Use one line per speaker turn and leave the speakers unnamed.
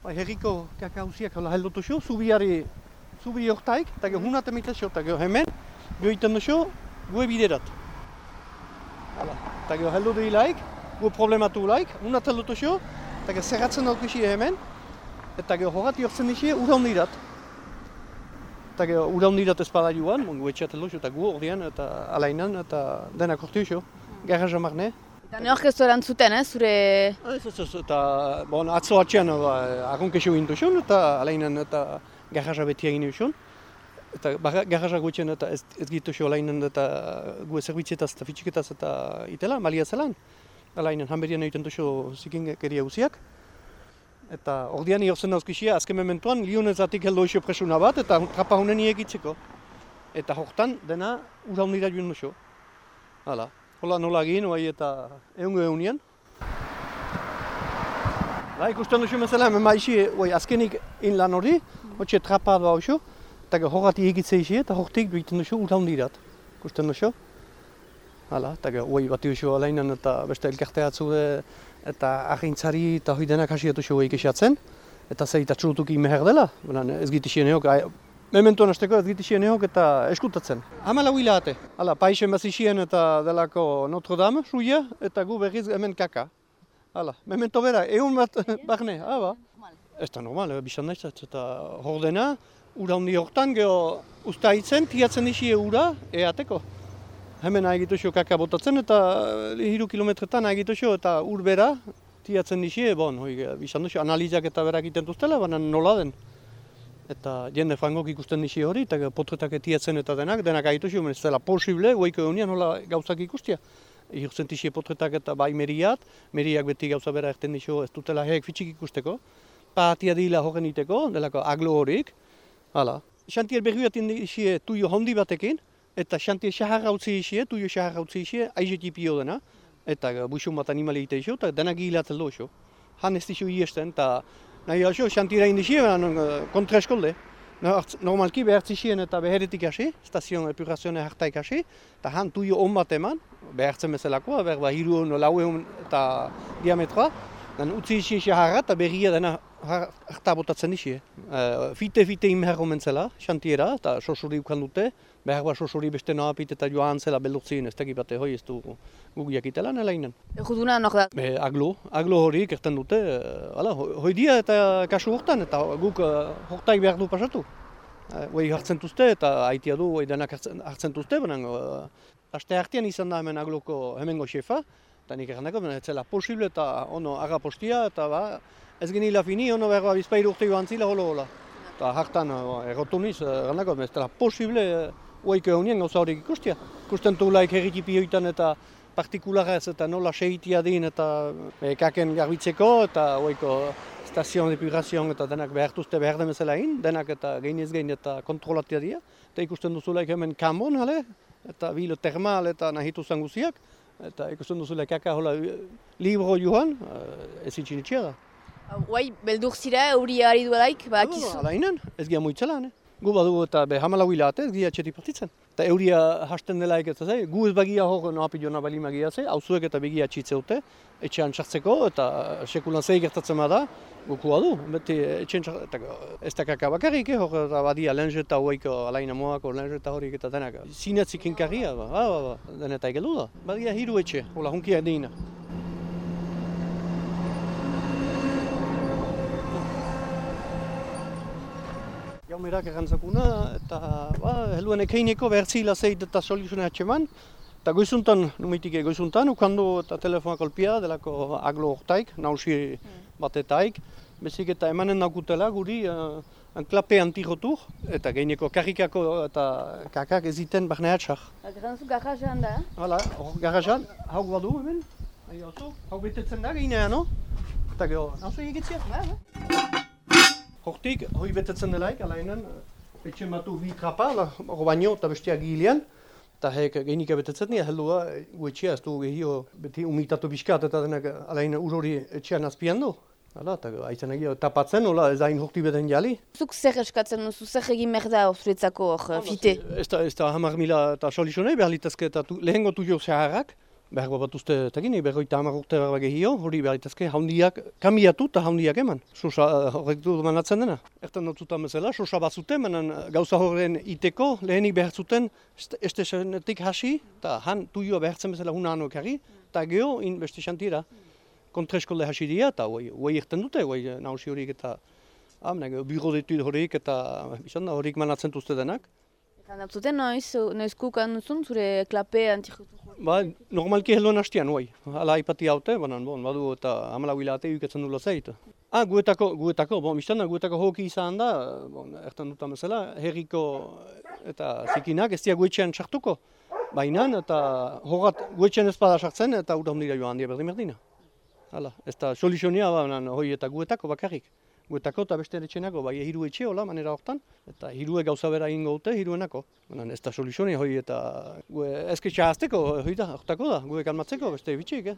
herriko kakauziak heldutu xo, zubi hortaik, eta gero hunat emitzio, eta gero hemen, gero iten duxo, gue biderat. Eta gero heldu duilaik, gue problematu laik, hunat heldutu xo, eta gero zerratzen daukixi hemen, eta gero horrat jortzen dixi ura hondirat. Eta gero ura hondirat ezpada joan, gue etxat heldu xo, eta gu ordean, eta alainan, eta denak ortu xo, garraja marne.
Eta neork ez erantzuten, zure...
Ez, eta atzo atxean agunkexo gintu xon, eta alainan eta garraja beti egin xon. Eta garraja gutxen eta ez gitu xo alainan eta gue zerbitzetaz eta fitxiketaz eta itela, malia zelan. Alainan hanberian egiten duxo zikingeria guziak. Eta ordean jortzen dauzkixia, azken mementuan, lionezatik heldu xo presuna bat, eta trapa honen egitzeko. Eta hortan dena ura hondira joan duxo. Hala. Hola nola egin, eta egun. Ikusten duzu mesela, hemen maixi, azkenik in lan hori, hotxe trapa da hau, eta horrati egitze isi, eta hortik duiten duzu ura hondirat. Ikusten duzu? Hala, eta bat duzu alainan eta beste elkartea atzude, eta ahintzari eta hoi denak hasi duzu esatzen, eta zei eta txurutuki meher dela, ez gitixien eok, mementuan azteko ez gitixien eok eta eskutatzen. Hamala huila ate. Hala, paixen bazixien eta delako Notre Dame, suia, eta gu berriz hemen kaka. Hala, memento bera, egun bat barne, ba. Ez da normal, bizan nahiz, eta hor dena, ura hondi hortan, geho ustaitzen, tiatzen dixi ura, eateko. Hemen agituxo kaka botatzen, eta 3 kilometretan agituxo, eta ur bera, tiatzen dixi, bizan duxo, analizak eta berak iten duztela, baina nola den. Eta jende frangok ikusten dixi hori, eta potretak etiatzen eta denak agituxo, ez dela posible, goiko egunean nola gauzak ikustia. Ikurtzen dixi potretak eta bai meriak beti gauza bera erten dixo, ez dutela herek fitxik ikusteko. Patia dila horren iteko, delako aglo horik. Hala. Xantier berriatin dixi tuio hondi batekin, eta xantier xaharra utzi dixi, tuio xaharra utzi dixi, aizetipio dena. Eta buixun bat animali ite dixo, eta denak hilatzen doxo. Han ez dixo iesten, eta nahi alxo, xantira indixi, kontra eskolde. Normalki behartzixien eta beheretik hasi, stazion epurazioa hartaik hasi, eta han tuio on bat eman, behartzen bezalakoa, berba 300 eta diametroa, utzi dixi xaharra eta berria dena harta botatzen dixi. Fite imher omentzela, xantiera, eta sosuri ukan dute, behar sosuri beste noapit eta joan zela beldurtzien, ez teki bate hoi ez du gugiak itelan elainan.
Eguduna nok da?
Aglo hori kerten dute, hoi dia eta kasu hortan, eta guk hortaik behar du pasatu. Hoi hartzen duzte eta haitia du, hoi denak hartzen duzte, baina aste hartian izan da hemen agloko hemengo xefa, eta nik errandako, ez zela posible eta ono agapostia, eta ez genila fini, ono behar bizpairu urte joan zila hola. Eta hartan errotuniz, errandako, ez zela posible, hoiko egunien gauza horiek ikustia. Ikusten duelaik herritipioetan eta partikularez eta nola segitia din eta kaken garbitzeko eta hoiko stazion depurazioan eta denak behartuzte behar demezela egin, denak eta gehinez gehin eta kontrolatia dira. Eta ikusten duzulaik hemen kambon, eta bilo termal eta nahitu zanguziak. Eta ikusten duzulaik kaka hola libro joan, ez itxinitxea da.
Guai, beldur zira, euri ari duelaik, akizu?
Alainan, ez gira moitzela, Gu badu eta hamala huilate, ez gira txetik partitzen. Eta euria hasten delaik ez da, gu ez bagia hor noapi jona bali magia ze, hauzuek eta begia txitzeute, etxean txartzeko eta sekulan zei gertatzen da, guku badu, beti etxean txartzeko. Ez da kaka bakarrik, hor eta badia lenzeta hoiko alaina moako lenzeta horik eta denak. Zinetzik inkarria, denetai gelu da. Badia hiru etxe, hola hunkia deina. Jaumerak errantzakuna, eta heluen ekeineko behertzila zeit eta soluzioa atxeman. Eta goizuntan, numeitik goizuntan, ukandu eta telefonak kolpia delako aglo hortaik, nausi batetaik. Bezik eta emanen naukutela guri klape antirotur, eta geineko karrikako eta kakak eziten barneatxar.
Granzu garrajan da?
Hala, hor garrajan, hauk badu hemen, hau betetzen da geinean, no? Eta geho, nauzu egitzia? Hortik, hoi betetzen delaik, alainan, etxen batu bi trapa, hor baino eta besteak gilean, eta hek geinika betetzen dira, heldua, gu etxea, ez du gehio beti umitatu bizkat eta denak alainan urori etxean azpian du. Hala, eta aizen egia tapatzen, hola, ez hain horti beden jali.
Zuk zer eskatzen duzu, zer egin merda zuretzako fite?
Ez da 10.000 eta solizionei behar litezke eta lehengo tuio zeharrak, behar bat uste, eta gini, 50 urte behar gehio, hori behar itazke haundiak, kamiatu eta haundiak eman. Sosa horrek du manatzen dena. Ertan dutzutan bezala, sosa bat zuten, manan gauza horren iteko, lehenik behar zuten, estesenetik hasi, eta han tuioa behartzen bezala hunano ekarri, eta geho, beste xantira, kontreskolle hasi dira, eta hoi erten dute, hoi nausi horiek eta birodetu horiek eta izan da horiek manatzen duzte denak.
Eta natzuten noiz kukan duzun, zure klape antijutu?
Normalki helduan hastian, hoi. Hala ipati haute, badu eta 14 hilate uketzen dula zeit. Guetako, guetako hoki izan da, ertan dutan bezala, herriko eta zikinak ez dira guetxean sartuko. Baina eta horat guetxean ezpada sartzen eta urahundira joan handia berdina. Hala, ez da soluzionia hoi eta guetako bakarrik. Guetako eta beste etxenako, bai hiru etxe hola manera hortan, eta hirue gauza bera ingo dute hiruenako. Ez da soluzionia hoi eta ezketxa azteko, hoi da, hortako da, gue kalmatzeko beste bitxik.